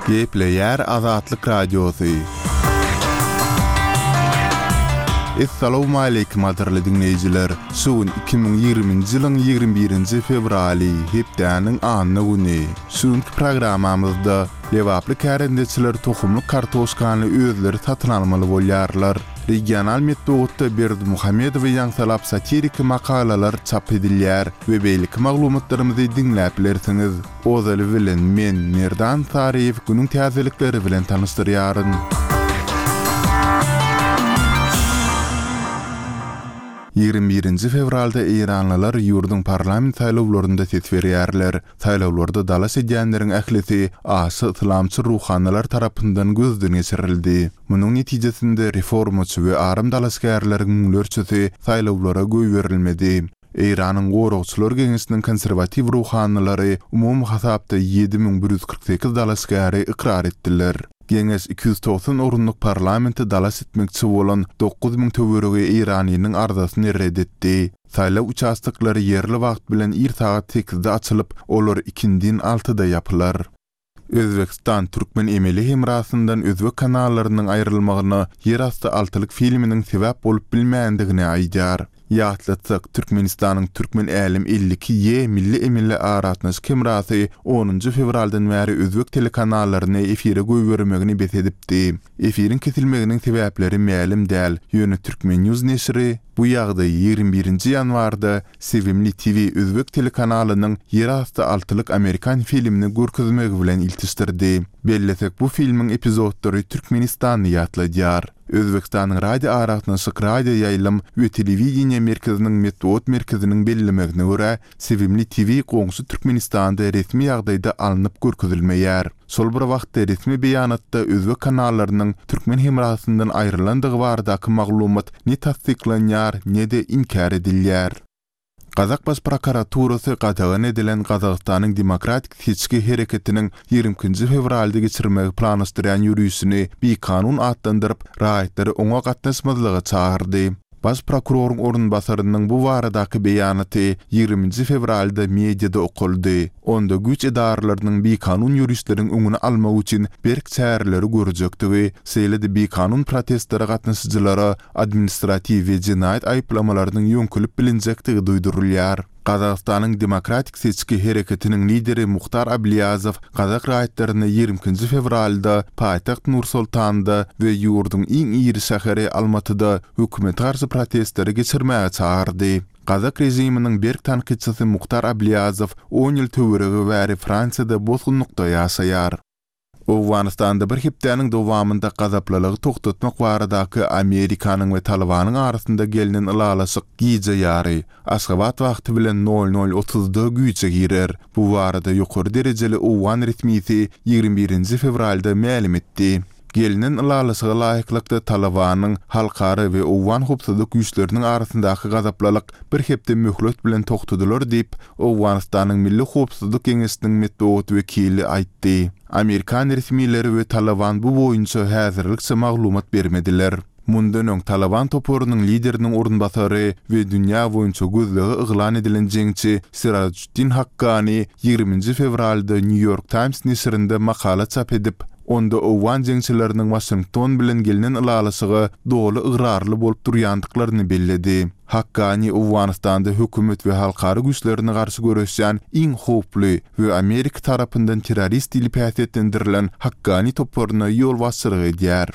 Gepleýär Azatlyk Radiosy. Essalawmaleýkim gadyrly diňleýjiler! Şu gün 2020-nji ýylyň 21-nji fewraly, hepdäniň anna güni. Şu günki programmamyzda lebaply kärendeçiler tohumlyk kartoşkany özleri satyn almaly bolýarlar. Regional metbugatda Berdimuhamedowy ýaňsylap satiriki makalalar çap edilýär we beýleki maglumatlarymyzy diňläp bilersiňiz. Ozaly bilen men, Merdan Saryýew günüň täzelikleri bilen tanyşdyrýaryn. 21-nji fewralda eýranlylar ýurduň parlament saýlawlarynda ses berýärler. Saýlawlarda dalaş edýänleriň ählisi aşa yslamçy ruhanylar tarapyndan gözden geçirildi. Munuň netijesinde reformaçy we aram dalaşgärleriň müňlerçesi saýlawlara goýberilmedi. Eýranyň Goragçylar geňeşiniň konserwatiw ruhanylary umumy hasapda 7148 dalaşgäri ykrar etdiler. Geňeş 290 orunlyk parlamente dalaş etmekçi bolan 9000 töweregi eýranlynyň arzasyny ret etdi. Saýlaw uçastoklary ýerli wagt bilen ir sagat sekizde açylyp, olar ikindin altyda ýapylar. Özbegistan türkmen emeli hemrasyndan özbek kanallarynyň aýrylmagyna Ýerasty altylyk filminiň sebäp bolup bilmändigini aýdýar. Ýatlatsak, Türkmenistanyň Türkmen Älem 52 Y milli emeli aragatnaşyk hemrasy onunjy fewraldan bäri özbek telekanallaryny efire goýbermegini bes edipdi. Efiriň kesilmeginiň sebäpleri mälim däl, ýöne Turkmen News neşiri, Bu ýagdaý 21 nji ýanwarda Sevimli TV özbek telekanalynyň Ýerasty altylyk amerikan filmini görkezmegi bilen iltişdirdi. Bellesek, bu filmiň epizodlary Türkmenistany ýatladýar. Özbegistanyň Radioaragatnaşyk, radioýaýlym we telewideniýe merkeziniň metbugat merkeziniň bellemegine görä, Sevimli TV goňşy Türkmenistanda resmi ýagdaýda alnyp görkezilmeýär. Şol bir wagtda resmi beýanatda özbek kanallarynyň türkmen hemrasyndan aýrylandygy baradaky maglumat ne tassyklanýar, ne-de inkär edilýär. Gazak Baş prokuraturasy gadagan edilen Gazagystanyň Demokratik seçgi hereketiniň 22-nji fewralda geçirmegi planlaşdyrýan ýörişini bikanun atlandyryp, raýatlary oňa gatnaşmazlyga çagyrdy. Baş prokuroryň orunbasarynyň bu baradaky beýanaty 20-nji fewralda mediada okaldy. Onda güýç edaralarynyň bikanun ýörişleriň öňüni almak üçin berk çäreleri görjekdigi, şeýle-de bikanun protestlere gatnaşyjylara administratiw we jenaýat aýyplamalarynyň ýöňkelip bilinjekdigi duýdurylýar. Gazagystanyň Demokratik seçgi hereketiniň lideri Muhtar Ablýazow gazak raýatlaryny 22-nji fewralda paýtagt Nur-Sultanda we ýurduň iň iri şäheri Almatyda hökümete garşy protestleri geçirmäge çagyrdy. Gazak režiminiň berk tankytçysy Muhtar Ablýazow on ýyl töweregi bäri Fransiýada bosgunlykda ýaşaýar. Owganystanda bir hepdäniň dowamynda gazaplylygy togtatmak baradaky Amerikanyň we Talybanyň arasynda gelnen ylalaşyk gije ýary, Aşgabat wagty bilen nol nol otuzda güýje girer. Bu barada ýokary derejeli owgan resmisi 21-nji fewralda mälim etdi. Gelnen ylalaşyga laýyklykda Talybanyň halkara we owgan howpsuzlyk güýçleriniň arasyndaky gazaplylyk bir hepde möhlet bilen togtadylar diýip, Owganystanyň Milli howpsuzlyk geňeşiniň metbugat wekili aýtdy. Amerikan resmileri we Talyban bu boýunça häzirlikçe maglumat bermediler. Mundan öň Talyban toparynyň lideriniň orunbasary we dünýä boýunça gözlege yglan edilen jeňçi Sirajuddin Hakkani 20-nji fewralda New York Times neşirinde makala çap edip, onda owgan jeňçileriniň Waşington bilen gelnen ylalaşyga doly ygrarly bolup durýandyklaryny belledi. Hakkani Owganystanda hökümet we halkara güýçlerine garşy göreşýän iň howply we Amerika tarapyndan terrorist diýlip häsiýetlendirilen Hakkani toparyna ýolbaşçylyk edýär.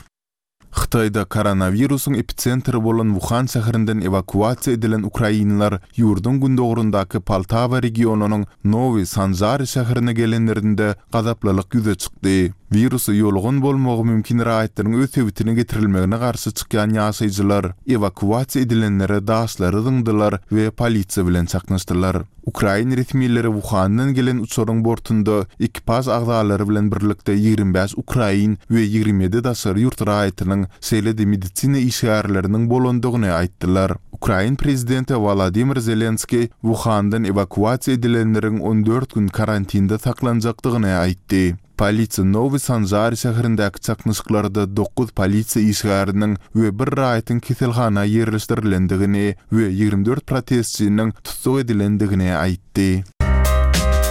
Hytaýda koronawirusyň episentri bolan Wuhan şäherinden ewakuasiýa edilen ukrainler ýurduň gündogaryndaky Poltawa regionynyň Nowy Sanžary şäherine gelenlerinde gazaplylyk ýüze çykdy. Wirusa ýolugan bolmagy mümkin raýatlaryň öz sebitine getirilmegine garşy çykýan ýaşaýjylar ewakuasiýa edilenlere daşlary zyňdylar we polisiýa bilen çaknyşdylar. Ukrain resmileri Wuhandan gelen uçaryň bortunda ekipaž agzalary bilen birlikde 25 ukrain we 27 daşary ýurt raýatynyň, şeýle-de medisina işgärleriniň bolandygyny aýtdylar. Ukrain prezidenti Wolodymyr Zelenskiý Wuhandan ewakuasiýa edilenleriň 14 gün karantinde saklanjakdygyny aýtdy. Polisiýa Nowy Sanžary şäherindäki çaknyşyklarda dokuz polisiýa işgäriniň we bir raýatyň keselhana ýerleşdirilendigini we 24 protestçiniň tussag edilendigini aýtdy.